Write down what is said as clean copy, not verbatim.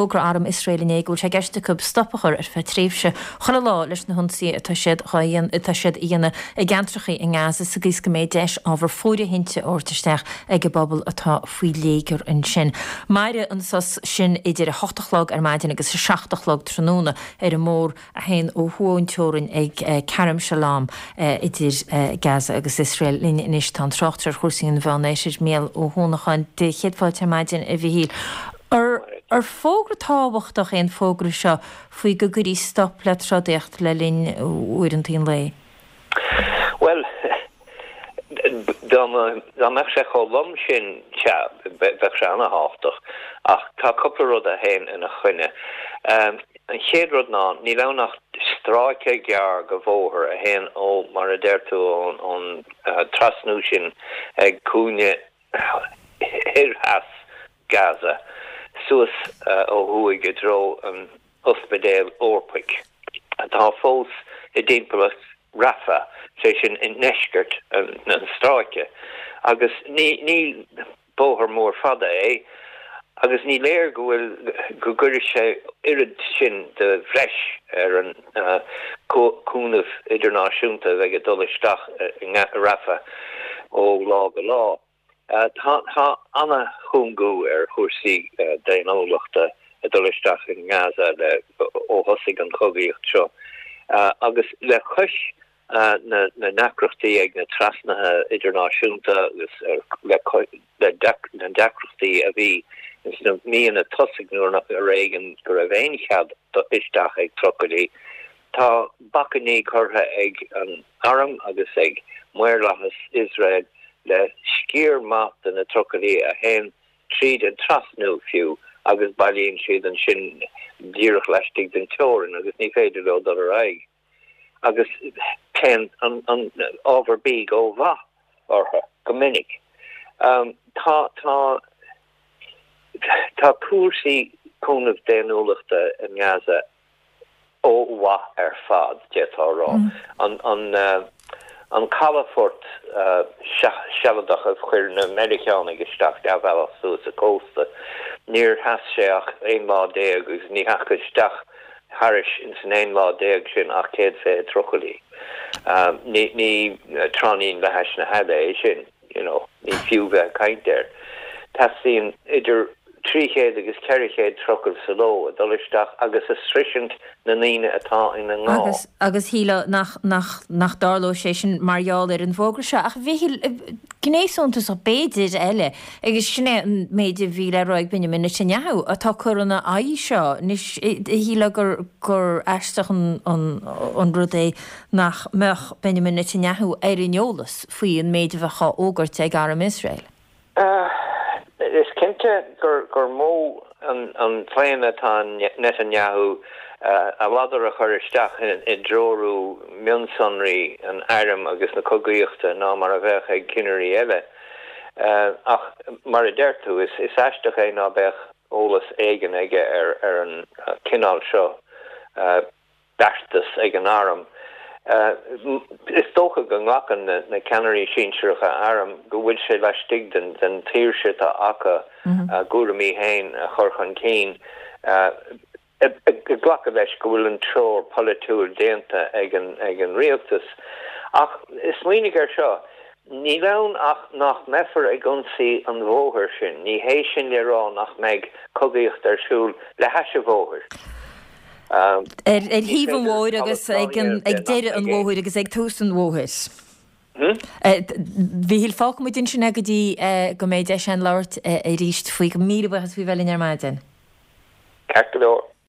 D'fhógair Arm Iosrael inné go bhfuil sé i gceist acu stop a chur ar feadh tréimhse chuile lá leis na hionsaithe atá siad atá siad a dhéanamh i gceantracha i nGaza sa gcaoi is go mbeidh deis ábhar fóirithinte a thabhairt isteach ag an bpobal atá faoi léigear ansin. Mairfidh an sos sin idir 8 a chlog ar maidin agus 7 a chlog tráthnóna ar an mbóthar a théann ó thuaidh ón teorainn ag Kerem Shalom idir Gaza agus Iosrael. Linn anois tá an tráchtaire ar chúrsaí an Mheánoirthir, Mícheál Ó hUanacháin. Dé chéad fáilte ar maidin, a Mhichíl. Ar fógra tábhachtach é an fógra seo faoi go gcuirfí stop le trodaíocht le linn uaireanta an lae? Bhuel, dá mbeadh sé chomh lom sin, sea, bheadh sé ana-thábhachtach. Ach tá cúpla rud a théann ina choinne. An chéad rud ná, níl ann ach stráice gearr de bhóthar a théann ó, mar a deir tú, ón trasnú sin ag cúinne thoir theas Gaza, suas ó thuaidh i dtreo an Ospidéil Eorpaigh, atá fós i dtimpeallacht Rafah, sé sin i ndeisceart an stráice, agus ní bóthar mór fada é, agus ní léir go bhfuil, go gcuirfidh sé oiread sin de bhreis ar an gcúnamh idirnáisiúnta a bheidh ag dul isteach i Rafah ó lá go lá. Tá ana-chúngú ar chúrsaí daonnúlachta ag dul isteach i nGaza le ó thosaigh an chogaíocht seo agus le cois na ndeacrachtaí ag na trasnuithe idirnáisiúnta agus le na deacrachtaí a bhí sna míonna tosaigh nuair ar éigean go raibh aon chead isteach ag trucailí. Tá bacainní curtha ag an arm agus ag maorlathas Iosrael le sciar maith de na trucailí a théann tríd an trasnú fiú agus bailíonn siad ansin díreach laistigh den teorainn agus ní féidir leo dul ar aghaidh agus téann an ábhar bídh ó mhaith orthu go minic. Tá tá tá cúrsaí cúnamh daonnúlachta i nGaza ó mhaith ar fad, d'fhéadfá a rá. An calafort sealadach a chuir na Meiriceánaigh isteach leathbhealach suas an cósta, níor sheas sé ach 11 lá agus ní theachaigh isteach thairis ins an 11 lá sin ach 120 trucailí. Ní tráithnín le hais na haille é sin. you know, ní fiú bheith ag caint air. Teastaíonn idir 300 agus 400 trucail sa ló ag dul isteach agus ag sroisint na ndaoine atá ina ngá. Agus, agus shílfeá nach, nach, nach dtarlódh sé sin mar gheall ar an bhfógra seo. Ach a Mhichíl, gné suntasach b'fhéidir eile, agus sin é an méid a bhí le rá ag Benjamin Netanyahu, atá ag cur ina aghaidh seo. Anois, shílfeá gur, gur aisteach an, an, an rud é nach mbeadh Benjamin Netanyahu ar an eolas faoi an méid a bheadh á fhógairt ag arm Iosrael. Is cinnte gur mó an claonadh atá Netanyahu a ladar a chur isteach i dtreorú mionsonraí an airm agus na cogaíochta ná mar a bheadh ag cinnirí eile. Ach mar a deir tú, is aisteach é ná beadh eolas éigin aige ar an chineál seo beartas ag an arm. Is dócha go nglacann na ceannairí sinsearacha airm go bhfuil sé laistigh den tsaoirse atá acu a gcúraimí féin a chur chun cinn, ag glacadh leis go bhfuil an treoir pholaitiúil déanta ag an rialtas. Ach smaoinigh air seo, níl ann ach nach mbeifear ag ionsaí an bhóthair sin, ní hé sin le rá nach mbeidh cogaíocht ar siúl le hais an bhóthair. Ar thaobh an bhóthair agus ag deireadh an bhóthair agus ag tús an bhóthair. A Mhichíl, fágfaidh muid ansin é go dtí go mbeidh deis againn labhairt arís faoi. Míle buíochas faoi bheith linn ar maidin. Ceart go leor.